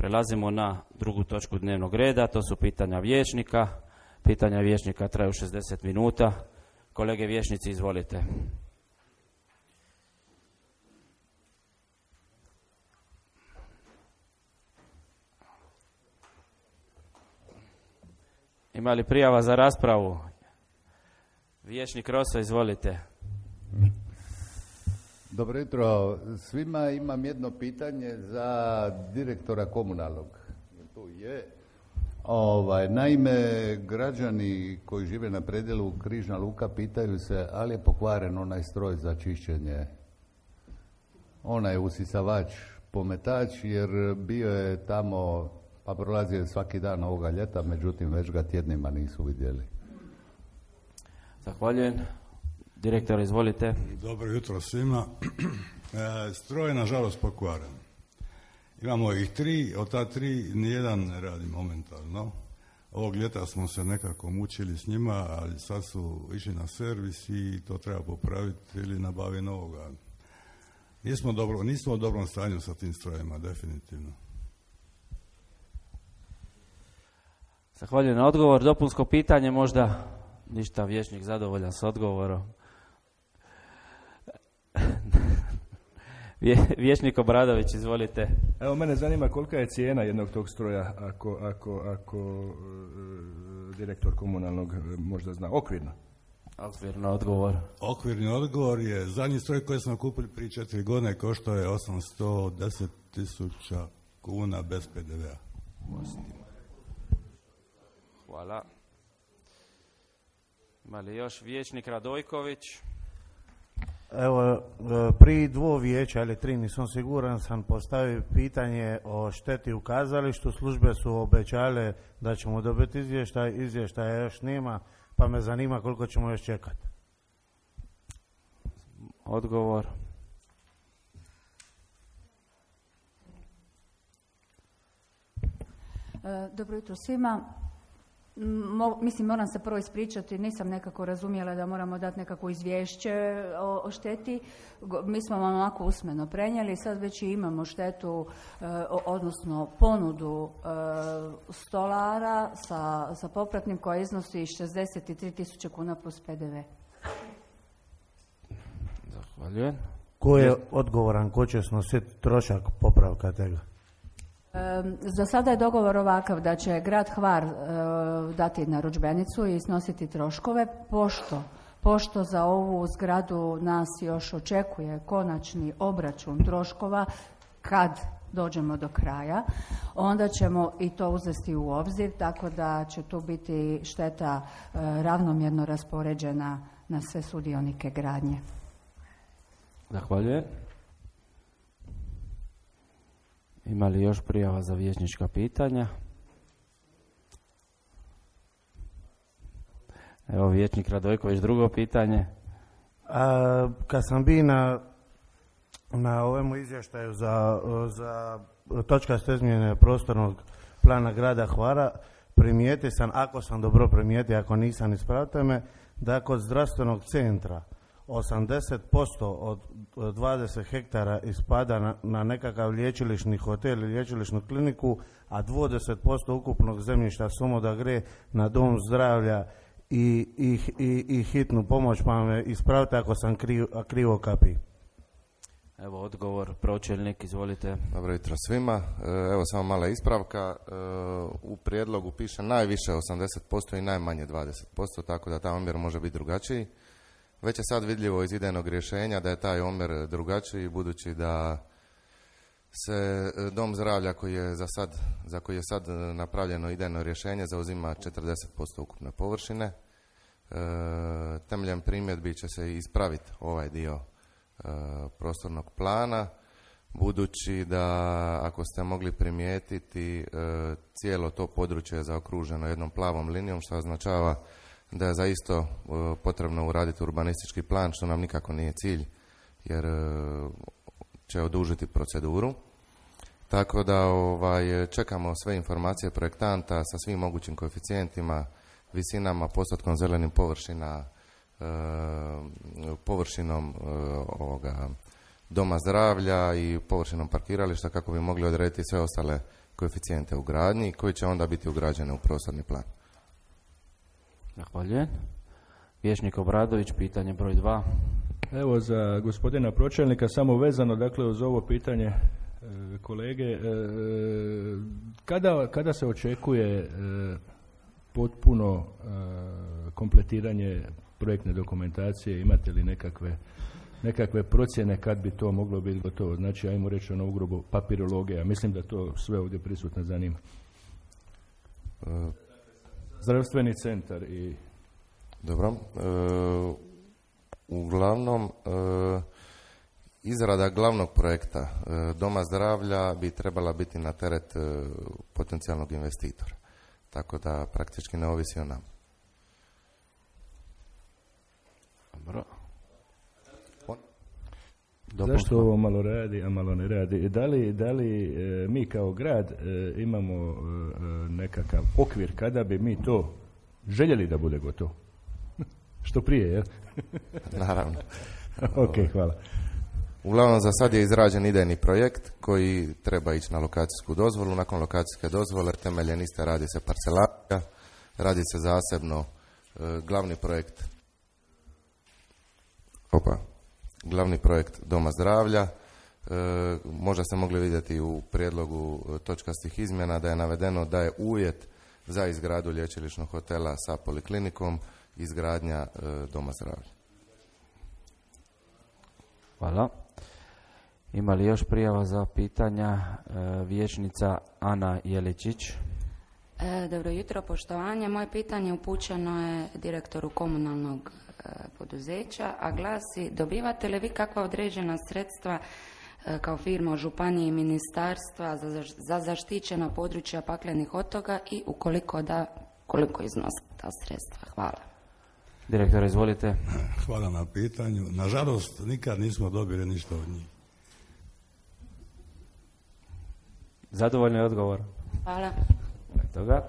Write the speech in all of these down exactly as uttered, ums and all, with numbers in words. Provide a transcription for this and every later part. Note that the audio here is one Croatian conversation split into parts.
Prelazimo na drugu točku dnevnog reda, to su pitanja vijećnika. Pitanja vijećnika traju šezdeset minuta. Kolege vijećnici, izvolite. Ima li prijava za raspravu? Vijećnik Roso, izvolite. Dobro jutro svima. Imam jedno pitanje za direktora komunalnog. To je, ovaj, naime, građani koji žive na predjelu Križna Luka pitaju se ali je pokvaren onaj stroj za čišćenje, onaj usisavač, pometač, jer bio je tamo, pa prolazio je svaki dan ovoga ljeta, međutim već ga tjednima nisu vidjeli. Zahvaljujem. Direktor, izvolite. Dobro jutro svima. E, stroj je nažalost pokvaren. Imamo ih tri, od ta tri nijedan ne radi momentalno. Ovog ljeta smo se nekako mučili s njima, ali sad su išli na servis i to treba popraviti ili nabavi novoga. Nismo, dobro, nismo u dobrom stanju sa tim strojima, definitivno. Zahvaljujem na odgovor. Dopunsko pitanje možda? Ništa, vijećnik zadovoljan s odgovorom. Vijećnik Obradović, izvolite. Evo, mene zanima kolika je cijena jednog tog stroja, ako, ako, ako e, direktor komunalnog možda zna, okvirno. Okvirno odgovor. Okvirni odgovor je, zadnji stroj koji smo kupili prije četiri godine koštao je osamsto deset tisuća kuna bez pe de vea. Hvala. Ima li još vijećnik Radojković? Evo, pri dvo vijeća ili tri, nisam siguran, sam postavio pitanje o šteti u kazalištu. Službe su obećale da ćemo dobiti izvještaj, izvještaja još nema, pa me zanima koliko ćemo još čekati. Odgovor. Dobro jutro svima. Mo, mislim, moram se prvo ispričati, nisam nekako razumjela da moramo dati nekako izvješće o, o šteti. Mi smo vam onako usmeno prenijeli, sad već i imamo štetu, e, odnosno ponudu e, stolara sa, sa popratnim koja iznosi šezdeset tri tisuće kuna plus pe de ve. Zahvaljujem. Ko je odgovoran, ko će snositi trošak popravka tega? E, za sada je dogovor ovakav da će grad Hvar e, dati narudžbenicu i snositi troškove, pošto, pošto za ovu zgradu nas još očekuje konačni obračun troškova kad dođemo do kraja, onda ćemo i to uzeti u obzir, tako da će tu biti šteta e, ravnomjerno raspoređena na sve sudionike gradnje. Zahvaljujem. Ima li još prijava za vijećnička pitanja? Evo, vijećnik Radojković, drugo pitanje. A, kad sam bio na, na ovemu izvještaju za, za točkaste izmjene prostornog plana grada Hvara, primijetio sam, ako sam dobro primijetio, ako nisam, ispravite me, da kod zdravstvenog centra osamdeset posto od dvadeset hektara ispada na, na nekakav liječilišni hotel ili liječilišnu kliniku, a dvadeset posto ukupnog zemljišta samo da gre na dom zdravlja i, i, i, i hitnu pomoć, pa me ispravite ako sam krivo, krivo kapi. Evo odgovor, pročelnik, izvolite. Dobro jutro svima. Evo samo mala ispravka. U prijedlogu piše najviše osamdeset posto i najmanje dvadeset posto, tako da taj omjer može biti drugačiji. Već je sad vidljivo iz idejnog rješenja da je taj omjer drugačiji, budući da se dom zdravlja koji je za, sad, za koji je sad napravljeno idejno rješenje zauzima četrdeset posto ukupne površine. E, temeljem primjedbi će se ispraviti ovaj dio e, prostornog plana, budući da, ako ste mogli primijetiti, e, cijelo to područje je zaokruženo jednom plavom linijom, što označava da je zaista e, potrebno uraditi urbanistički plan, što nam nikako nije cilj, jer e, će odužiti proceduru. Tako da ovaj, čekamo sve informacije projektanta sa svim mogućim koeficijentima, visinama, postotkom zelenih površina, e, površinom e, ovoga doma zdravlja i površinom parkirališta, kako bi mogli odrediti sve ostale koeficijente u gradnji koji će onda biti ugrađene u prostorni plan. Zahvaljujem. Vijećnik Obradović, pitanje broj dva. Evo za gospodina pročelnika, samo vezano dakle uz ovo pitanje e, kolege, e, kada, kada se očekuje e, potpuno e, kompletiranje projektne dokumentacije, imate li nekakve, nekakve procjene kad bi to moglo biti gotovo? Znači, ajmo reći ono ugrubo papirologija, mislim da to sve ovdje prisutno zanima. Zdravstveni centar i... Dobro. E, uglavnom, e, izrada glavnog projekta e, Doma zdravlja bi trebala biti na teret e, potencijalnog investitora. Tako da praktički ne ovisi o nama. Dobro. Zašto ovo malo radi, a malo ne radi? Da li, da li e, mi kao grad e, imamo e, nekakav okvir kada bi mi to željeli da bude gotovo? Što prije, jel? Naravno. Ok, hvala. Uglavnom, za sad je izrađen idejni projekt koji treba ići na lokacijsku dozvolu. Nakon lokacijske dozvole temeljen iste radi se parcelacija, radi se zasebno e, glavni projekt opa, glavni projekt Doma zdravlja. E, možda ste mogli vidjeti u prijedlogu točkastih izmjena da je navedeno da je uvjet za izgradu lječilišnog hotela sa poliklinikom izgradnja e, Doma zdravlja. Hvala. Ima li još prijava za pitanja? E, vijećnica Ana Jeličić. E, dobro jutro, poštovanje. Moje pitanje upućeno je direktoru komunalnog e, poduzeća, a glasi: dobivate li vi kakva određena sredstva e, kao firma od županije i ministarstva za, za zaštićena područja paklenih otoka i ukoliko da, koliko iznose ta sredstva? Hvala. Direktor, izvolite. Hvala na pitanju. Nažalost, nikad nismo dobili ništa od njih. Zadovoljno je odgovor. Hvala. Toga.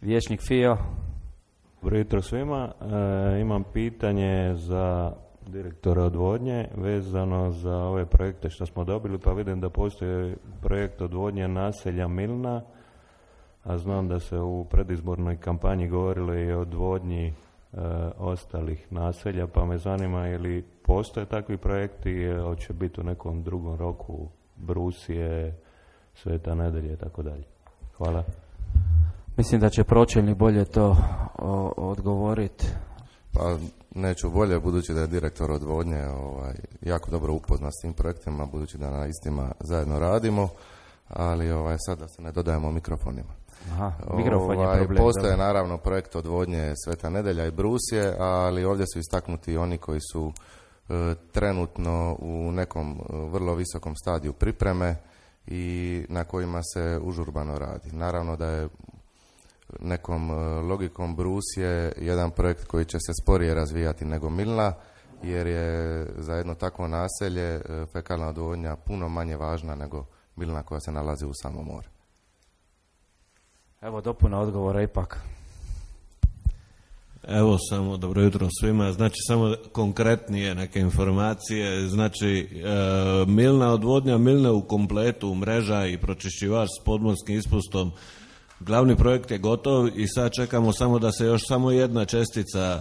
Vijećnik Fio. Dobro jutro svima. E, imam pitanje za direktora odvodnje vezano za ove projekte što smo dobili, pa vidim da postoji projekt odvodnje naselja Milna, a znam da se u predizbornoj kampanji govorilo i o odvodnji e, ostalih naselja, pa me zanima je li postoje takvi projekti, je, hoće biti u nekom drugom roku, Brusije, Sveta Nedelje i tako dalje. Hvala. Mislim da će pročelnik bolje to odgovoriti. Pa neću bolje, budući da je direktor odvodnje ovaj, jako dobro upoznat s tim projektima, budući da na istima zajedno radimo, ali ovaj, sad da se ne dodajemo mikrofonima. Aha, mikrofon je ovaj, problem. Postoje da. naravno projekt odvodnje Sveta Nedelja i Brusije, ali ovdje su istaknuti oni koji su e, trenutno u nekom e, vrlo visokom stadiju pripreme i na kojima se užurbano radi. Naravno da je nekom e, logikom Brusije jedan projekt koji će se sporije razvijati nego Milna, jer je za jedno takvo naselje e, fekalna odvodnja puno manje važna nego Milna koja se nalazi u samom more. Evo dopuna odgovora ipak. Evo samo, dobro jutro svima, znači samo konkretnije neke informacije, znači e, Milna odvodnja, Milne u kompletu, mreža i pročišćivač s podmorskim ispustom, glavni projekt je gotov i sad čekamo samo da se još samo jedna čestica e,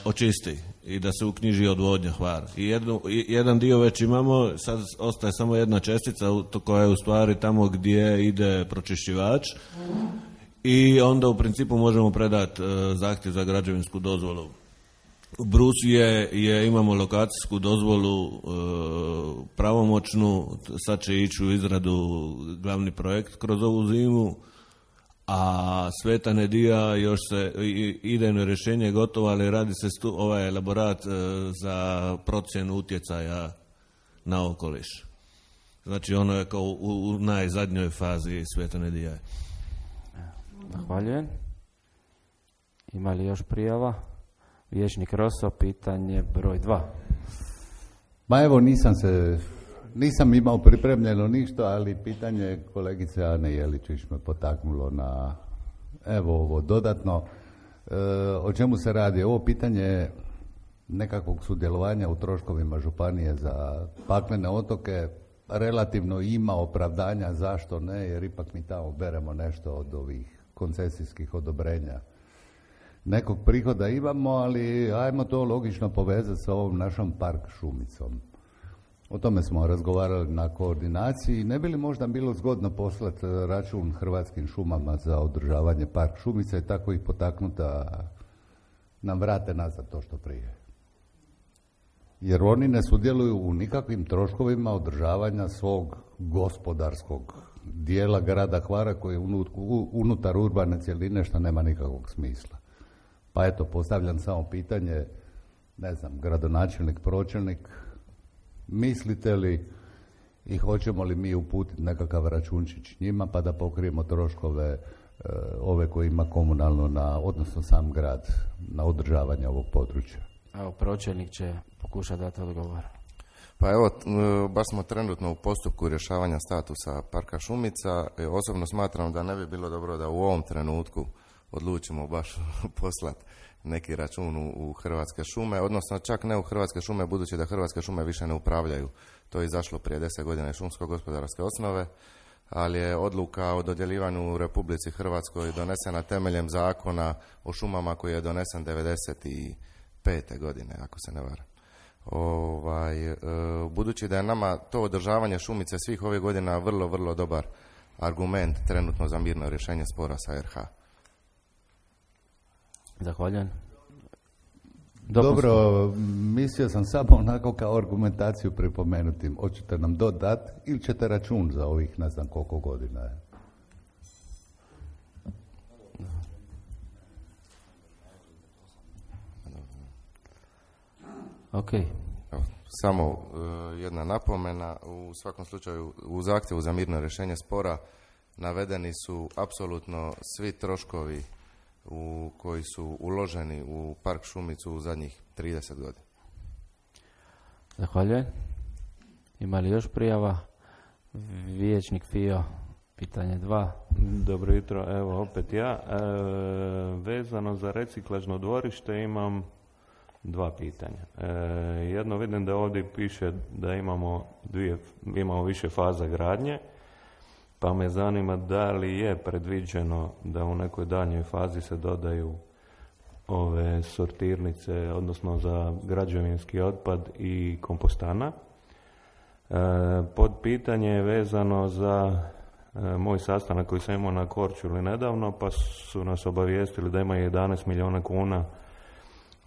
očisti i da se uknjiži odvodnja Hvar. I, jednu, i jedan dio već imamo, sad ostaje samo jedna čestica koja je u stvari tamo gdje ide pročišćivač i onda u principu možemo predati e, zahtjev za građevinsku dozvolu. U Brusije je, imamo lokacijsku dozvolu e, pravomoćnu, sad će ići u izradu glavni projekt kroz ovu zimu, a Sveta Nedija još se idejno rješenje je gotovo, ali radi se stu, ovaj elaborat e, za procjenu utjecaja na okoliš. Znači ono je kao u, u najzadnjoj fazi Sveta Nedija. Zahvaljujem. Ima li još prijava? Vijećnik Roso, pitanje broj dva. Ma evo, nisam se, nisam imao pripremljeno ništa, ali pitanje kolegice Ane Jeličić me potaknulo na, evo ovo dodatno. E, o čemu se radi? Ovo pitanje nekakvog sudjelovanja u troškovima županije za paklene otoke relativno ima opravdanja, zašto ne, jer ipak mi tamo beremo nešto od ovih koncesijskih odobrenja. Nekog prihoda imamo, ali ajmo to logično povezati sa ovom našom park šumicom. O tome smo razgovarali na koordinaciji. Ne bi li možda bilo zgodno poslati račun Hrvatskim šumama za održavanje park šumice i tako ih potaknuti da nam vrate nazad to što prije? Jer oni ne sudjeluju u nikakvim troškovima održavanja svog gospodarskog dijela grada Hvara koji je unutar urbane cjeline, što nema nikakvog smisla. Pa eto, postavljam samo pitanje, ne znam, gradonačelnik, pročelnik, mislite li i hoćemo li mi uputiti nekakav računčić njima pa da pokrijemo troškove e, ove koje ima komunalno, na, odnosno sam grad, na održavanje ovog područja? Evo, pročelnik će pokušati dati odgovor. Pa evo, baš smo trenutno u postupku rješavanja statusa parka Šumica. Osobno smatram da ne bi bilo dobro da u ovom trenutku odlučimo baš poslati neki račun u Hrvatske šume, odnosno čak ne u Hrvatske šume, budući da Hrvatske šume više ne upravljaju. To je izašlo prije deset godina iz šumsko-gospodarske osnove, ali je odluka o dodjeljivanju u Republici Hrvatskoj donesena temeljem zakona o šumama koji je donesen devedeset pete godine, ako se ne varam. Ovaj, e, budući da je nama to održavanje šumice svih ovih godina vrlo, vrlo dobar argument trenutno za mirno rješenje spora sa R H. Zahvaljujem. Dobro, mislio sam samo onako kao argumentaciju pripomenuti. Hoćete nam dodati ili ćete račun za ovih ne znam koliko godina je? Ok. Samo uh, jedna napomena. U svakom slučaju u zahtjevu za mirno rješenje spora navedeni su apsolutno svi troškovi u koji su uloženi u park Šumicu u zadnjih trideset godina. Zahvaljujem. Ima li još prijava? Vijećnik Fio, pitanje dva. Dobro jutro, evo opet ja. E, vezano za reciklažno dvorište imam dva pitanja. E, jedno, vidim da ovdje piše da imamo, dvije, imamo više faza gradnje, pa me zanima da li je predviđeno da u nekoj daljnjoj fazi se dodaju ove sortirnice, odnosno za građevinski otpad i kompostana. E, pod pitanje je vezano za e, moj sastanak koji sam imao na Korčuli nedavno, pa su nas obavijestili da ima jedanaest milijuna kuna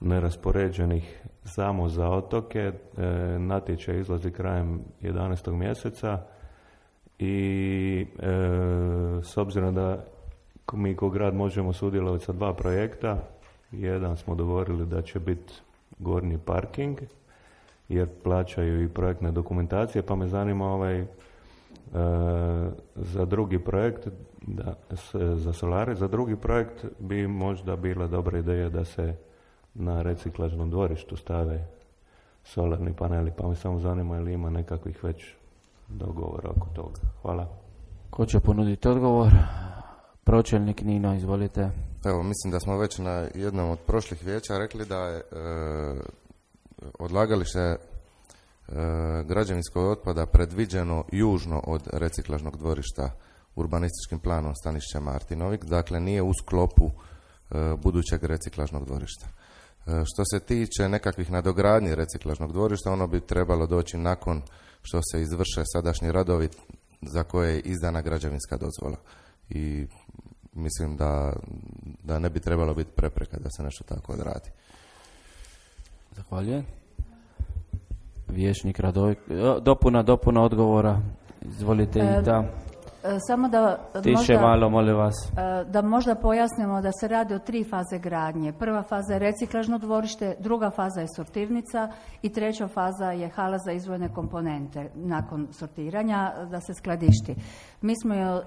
neraspoređenih samo za otoke. E, natječaj izlazi krajem jedanaestog mjeseca i e, s obzirom da mi kao grad možemo sudjelovati sa dva projekta, jedan smo dogovorili da će biti gornji parking jer plaćaju i projektne dokumentacije, pa me zanima ovaj e, za drugi projekt da, s, za solare, za drugi projekt bi možda bila dobra ideja da se na reciklažnom dvorištu stave solarni paneli, pa me samo zanima ili ima nekakvih već dogovora oko toga. Hvala. Ko će ponuditi odgovor? Pročelnik Nino, izvolite. Evo, mislim da smo već na jednom od prošlih vijeća rekli da je e, odlagalište e, građevinskog otpada predviđeno južno od reciklažnog dvorišta urbanističkim planom Stanišća Martinovik, dakle nije u sklopu e, budućeg reciklažnog dvorišta. E, što se tiče nekakvih nadogradnji reciklažnog dvorišta, ono bi trebalo doći nakon što se izvrše sadašnji radovi za koje je izdana građevinska dozvola. I mislim da, da ne bi trebalo biti prepreka da se nešto tako odradi. Zahvaljujem. Vijećnik Radovik. Dopuna, dopuna odgovora. Izvolite e, i da. Samo da Tiše možda, malo, molim vas. Da možda pojasnimo da se radi o tri faze gradnje. Prva faza je reciklažno dvorište, druga faza je sortirnica i treća faza je hala za izdvojene komponente nakon sortiranja da se skladišti. Mi smo e,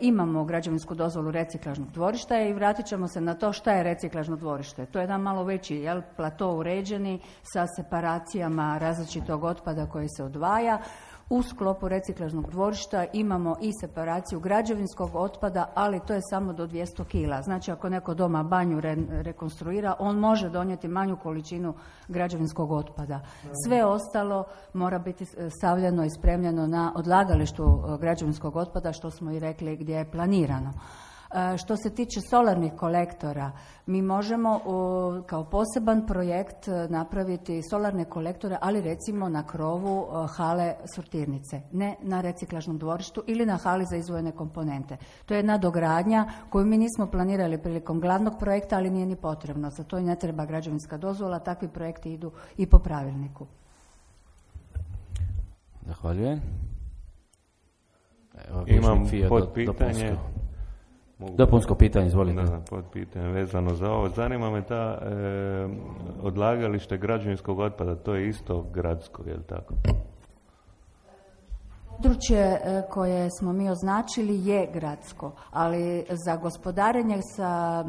imamo građevinsku dozvolu reciklažnog dvorišta i vratit ćemo se na to šta je reciklažno dvorište. To je jedan malo veći jel, plato uređeni sa separacijama različitog otpada koji se odvaja. U sklopu reciklažnog dvorišta imamo i separaciju građevinskog otpada, ali to je samo do dvjesto kila. Znači ako neko doma banju re, rekonstruira, on može donijeti manju količinu građevinskog otpada. Sve ostalo mora biti stavljeno i spremljeno na odlagalištu građevinskog otpada, što smo i rekli gdje je planirano. Što se tiče solarnih kolektora, mi možemo kao poseban projekt napraviti solarne kolektore, ali recimo na krovu hale sortirnice, ne na reciklažnom dvorištu ili na hali za izdvojene komponente. To je jedna dogradnja koju mi nismo planirali prilikom glavnog projekta, ali nije ni potrebno. Za to i ne treba građevinska dozvola, takvi projekti idu i po pravilniku. Zahvaljujem. Evo, imam pod pitanje. Mogu... Dopunsko pitanje, izvolite. Da, pod pitanje vezano za ovo. Zanima me ta e, odlagalište građevinskog otpada, to je isto gradsko, je li tako? Područje koje smo mi označili je gradsko, ali za gospodarenje sa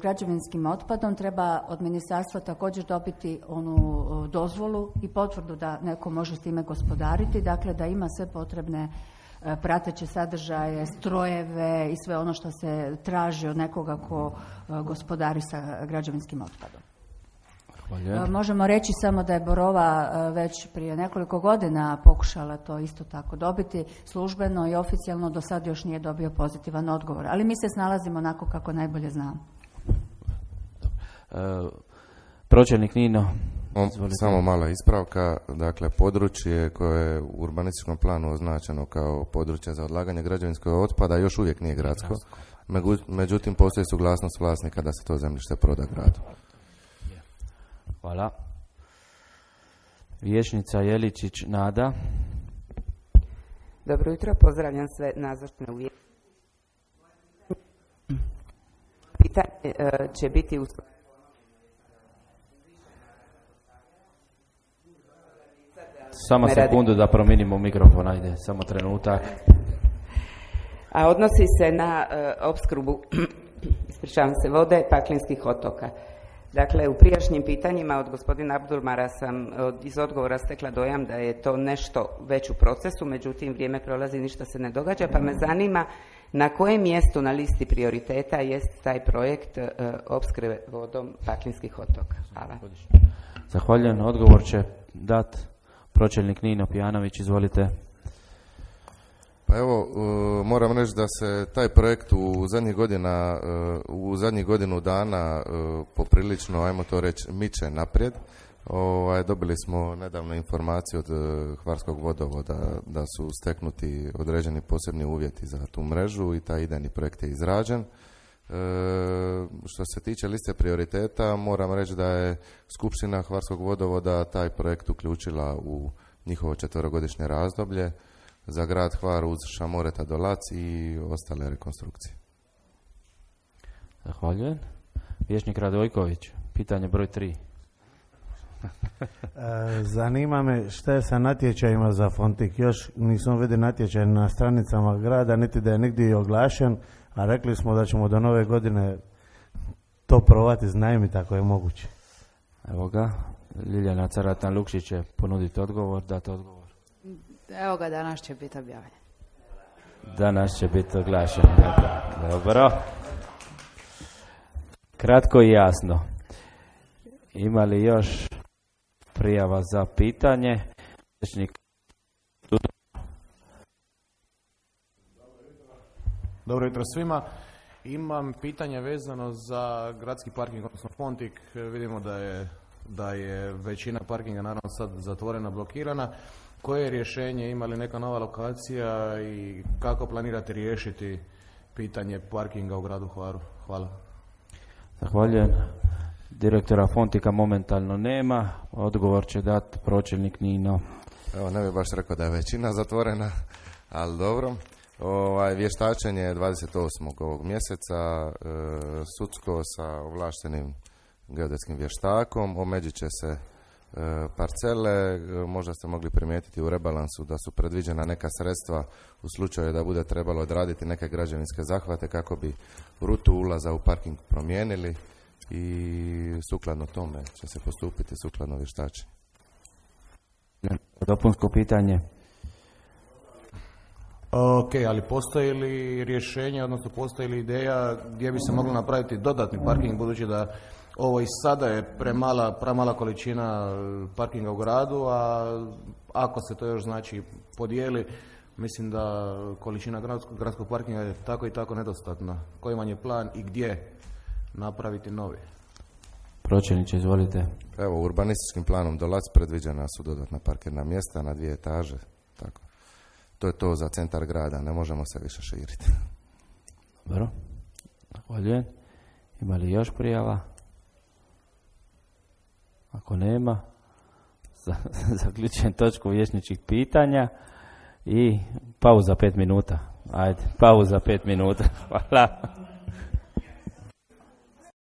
građevinskim otpadom treba od ministarstva također dobiti onu dozvolu i potvrdu da neko može s time gospodariti, dakle da ima sve potrebne prateće sadržaje, strojeve i sve ono što se traži od nekoga ko gospodari sa građevinskim otpadom. Hvala. Možemo reći samo da je Borova već prije nekoliko godina pokušala to isto tako dobiti službeno i oficijalno, do sad još nije dobio pozitivan odgovor, ali mi se snalazimo onako kako najbolje znamo. E, pročelnik Nino. Izvolite. Samo mala ispravka, dakle područje koje je u urbanističkom planu označeno kao područje za odlaganje građevinskog otpada još uvijek nije gradsko, međutim postoji suglasnost vlasnika da se to zemljište proda gradu. Hvala. Vijećnica Jeličić Nada. Dobro jutro, pozdravljam sve nazočne u vijećnici. Pitanje će biti u Samo sekundu da promijenimo mikrofon, ajde, samo trenutak. A odnosi se na uh, opskrbu, ispričavam se, vode Paklinskih otoka. Dakle, u prijašnjim pitanjima od gospodina Abdulmara sam od, iz odgovora stekla dojam da je to nešto već u procesu, međutim vrijeme prolazi, ništa se ne događa, pa me zanima na kojem mjestu na listi prioriteta jest taj projekt uh, opskrbe vodom Paklinskih otoka. Hvala. Zahvaljujem, odgovor će dat pročelnik Nino Pijanović, izvolite. Pa evo, uh, moram reći da se taj projekt u zadnjih godina, uh, u zadnjih godinu dana uh, poprilično, ajmo to reći, miče naprijed. Ovaj, dobili smo nedavno informaciju od uh, Hvarskog vodovoda da su steknuti određeni posebni uvjeti za tu mrežu i taj idejni projekt je izrađen. E, što se tiče liste prioriteta, moram reći da je Skupština Hvarskog vodovoda taj projekt uključila u njihovo četverogodišnje razdoblje za grad Hvar uz Šamoreta do Lac i ostale rekonstrukcije. Zahvaljujem. Vijećnik Radojković, pitanje broj tri. e, zanima me šta je sa natječajima za Fontik. Još nisam vidio natječaj na stranicama grada, niti da je nigdje oglašen, a rekli smo da ćemo do nove godine to probati iznajmiti ako je moguće. Evo ga, Ljiljana Caratan-Lukšić će ponuditi odgovor, dati odgovor. Evo ga, danas će biti objavljen. Danas će biti oglašen. Dobro. Kratko i jasno. Ima li još prijava za pitanje? Dobro jutro svima. Imam pitanje vezano za gradski parking, odnosno Fontik. Vidimo da je, da je većina parkinga naravno sad zatvorena, blokirana. Koje je rješenje, ima li neka nova lokacija i kako planirate riješiti pitanje parkinga u gradu Hvaru? Hvala. Zahvaljujem. Direktora Fontika momentalno nema. Odgovor će dati pročelnik Nino. Evo, ne bih baš rekao da je većina zatvorena, ali dobro. Ovaj, vještačenje je dvadeset osmog ovog mjeseca, e, sudsko sa ovlaštenim geodetskim vještakom, omeđit će se e, parcele, e, možda ste mogli primijetiti u rebalansu da su predviđena neka sredstva u slučaju da bude trebalo odraditi neke građevinske zahvate kako bi rutu ulaza u parking promijenili i sukladno tome će se postupiti sukladno vještačenju. Dopunsko pitanje. Ok, ali postoji li rješenje, odnosno postoji li ideja gdje bi se moglo napraviti dodatni parking, budući da ovo i sada je premala, premala količina parkinga u gradu, a ako se to još znači podijeli, mislim da količina gradskog, gradskog parkinga je tako i tako nedostatna. Koji vam je plan i gdje napraviti novi? Pročelniče, izvolite. Evo, urbanističkim planom Dolac predviđena su dodatna parkirna mjesta na dvije etaže. Tako. To je to za centar grada, ne možemo se više širiti. Dobro, zahvaljujem. Ima li još prijava? Ako nema, zaključujem točku vijećničkih pitanja i pauza pet minuta. Ajde, pauza pet minuta. Hvala.